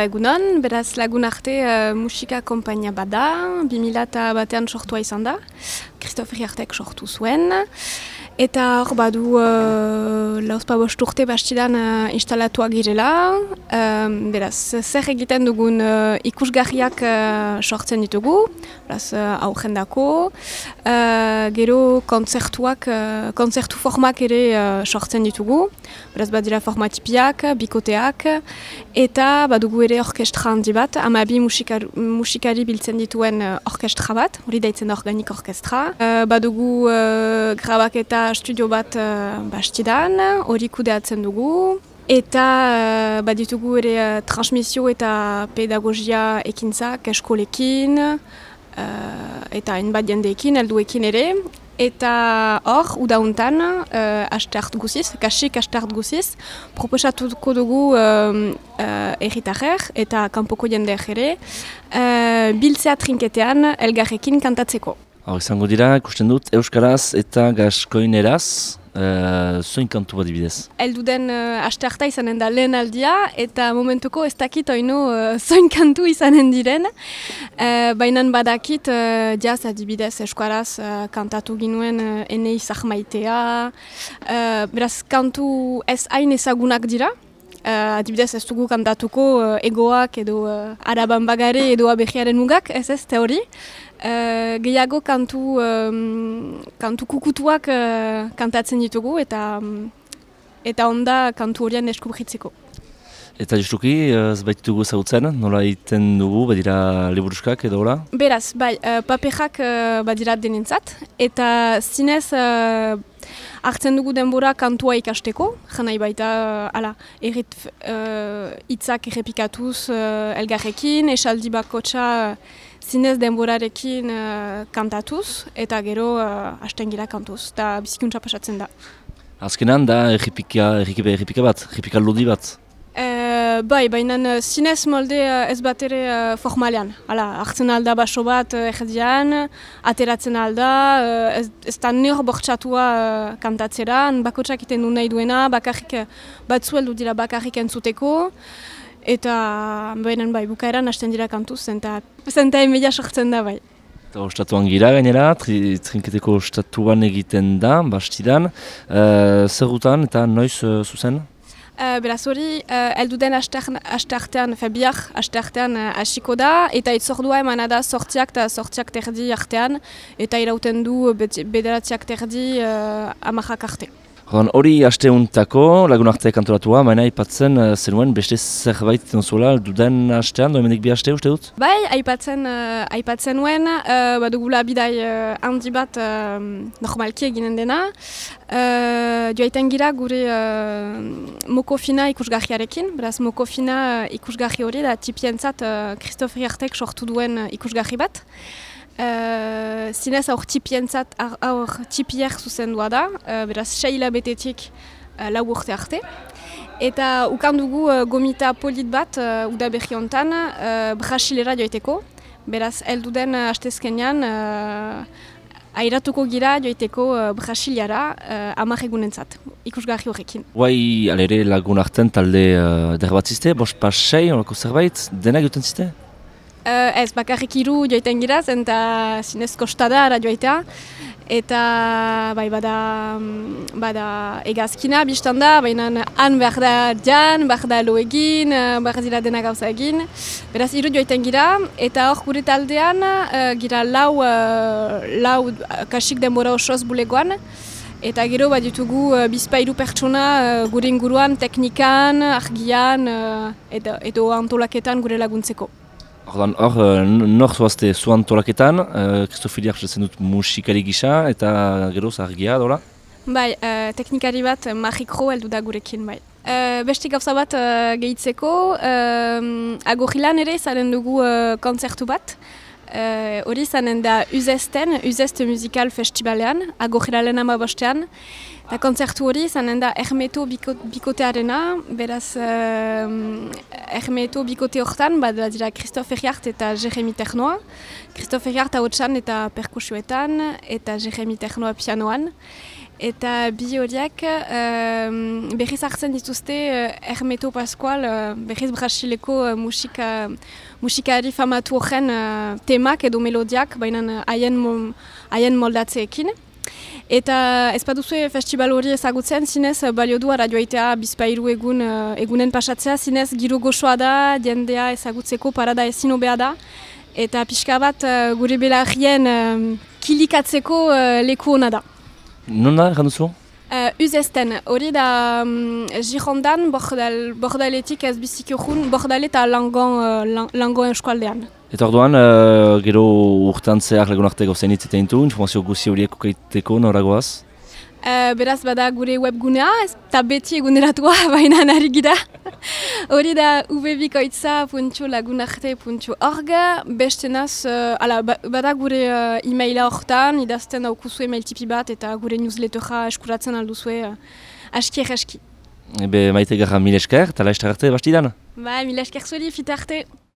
Egunon, beraz lagun arte musika konpainia bada, 2001 sortua izan da, Christophe Riartek sortu zuen. Eta hor badu lauzpabost urte bastidan instalatuak girela. Beraz, zer egiten dugun ikusgarriak sortzen ditugu, beraz aurrendako. Gero kontzertu formak ere sortzen ditugu. Beraz, badira formatipiak, bikoteak. Eta badugu ere orkestra handi bat, 12 musikari biltzen dituen orkestra bat, hori daitzen da organik orkestra. Badugu grabaketa studio bat bastidan, hori kudeatzen dugu. Eta baditugu ere transmisio eta pedagogia ekintzak eskolekin, eta hainbat jendeekin, helduekin ere. Eta hor, udauntan, astart guziz, kasik astart guziz, proposatuko dugu erritarrer eta kanpoko jendeak ere, biltzea trinketean elgarrekin kantatzeko. Hor izango dira, ikusten dut, euskaraz eta gaskoineraz, zoin kantu bat dibidez? Elduden astarta izanen da lehen aldia, eta momentuko ez dakit oino zoin kantu izanen diren. Baina badakit jaz adibidez euskaraz kantatu ginuen enei zahmaitea. Beraz, kantu ez hain ezagunak dira. Adibidez ez dugu kantatuko egoak edo araban bagare edo abegiaren mugak, ez teori. Gehiago kantu kukutuak kantatzen ditugu eta onda kantu horien deskubritzeko. Eta justuki, ez baitugu zautzen, nola egiten dugu, badira liburuskak edo hola? Beraz, bai, paperak badira denentzat, eta zinez hartzen dugu denbora kantua ikasteko, janai baita, hitzak errepikatuz elgarrekin, esaldi bakotxa zinez denborarekin kantatuz, eta gero hasten gira kantuz, eta bizikuntza pasatzen da. Azkenan da errepika bat, errepika lodi bat? Bai, baina zinez molde ez bat ere formalean. Hartzen alda baso bat erdian, ateratzen alda, ez da nire bortxatua kantatzeran, bakotsak iten du nahi duena, batzueldu dira bakarrik entzuteko, eta bai, bukaeran hasten dira kantuz, zenta emeia sortzen da bai. Eta ostatuan gira gainera, trinketeko ostatuan egiten da, bastidan, zerrutan eta noiz zuzen? Beraz hori, elduden asteartean, bihar asteartean hasiko da, eta itzordua emana da sortziak eta sortziak terdi artean, eta irauten du bederatziak terdi amarrak arte. Hori asteuntako lagun arteak antolatua, baina aipatzen zenuen beste zerbait zuela duden astean, doemendik bi aste uste dut? Bai, aipatzen nuen, badugula bidai handi bat normalki eginen dena. Joaiten gira gure Mokofina ikusgarriarekin, beraz Mokofina ikusgarri hori da tipientzat Christophe Riartek sortu duen ikusgarri bat. Zinez aur tipier zuzendua da, beraz 6 hilabetetik 4 urte arte. Eta ukandugu gomita polit bat udaberri hontan Brasilera joiteko, beraz elduden astezkenean airatuko gira joiteko Brasiliara 10 egunentzat, ikusgarri horrekin. Guai alere lagun artean talde derbatzizte, bost pas 6, olako zerbait, denak joten ziste? Ez, bakarrik 3 joiten giraz, eta zinez kostada ara joitea. Eta bai, bada egazkina biztan da, baina han behar da jan, behar da lo egin, behar dira dena gauza egin. Beraz, 3 joiten gira, eta hor gure taldean gira lau kasik denbora osoz bulegoan. Eta gero bat ditugu bizpairu pertsona gure inguruan, teknikan, argian, edo antolaketan gure laguntzeko. Hor, nor zoazte zu antolaketan, Christophe Riartek dut musikari gisa eta gero argia dola? Bai, teknikari bat magikro heldu da gurekin, bai. Beste gauza bat gehitzeko, Agorrilan ere zaren dugu kontzertu bat. Hori zanen da Uzest Musical Festivalean, Agorrilalen 15ean. Eta kontzertu hori zanen da Hermeto bikotearena, beraz Hermeto bikote hortan, dira Christophe Riartek eta Jeremy Ternoa. Christophe Riartek ahotsan eta perkusioetan, eta Jeremy Ternoa pianoan. Eta bi horiek berriz hartzen dituzte Hermeto Pascual, berriz Brasileko musikari famatu horren temak edo melodiak, baina haien moldatzeekin. Eta ez baduzue festival hori ezagutzen, zinez balio du radioaitea bizpairu egunen pasatzea, zinez giro goxoa da, jendea ezagutzeko parada ezin hobea da. Eta pixka bat gure belarrien kilikatzeko leku hona da. Non da, erran duzu? Uzesten, hori da Girondan, bordaletik ez bizik urrun, bordale eta langon eskualdean. Eta orduan, gero urtean zehar lagunarteko zein hitzetan du, informazio guzi horiek ukaiteko noragoaz? Beraz bada gure webgunea, eta beti eguneratua baina nari gira. Hori da ubebikoitza.lagunarte.org, bestenaz, bada gure e-maila horretan, idazten daukuzu email tipi bat eta gure newslettera eskuratzen alduzue aski. Ebe maite gara mil esker, eta laiztar arte bastidan? Mil esker zuri, fita arte.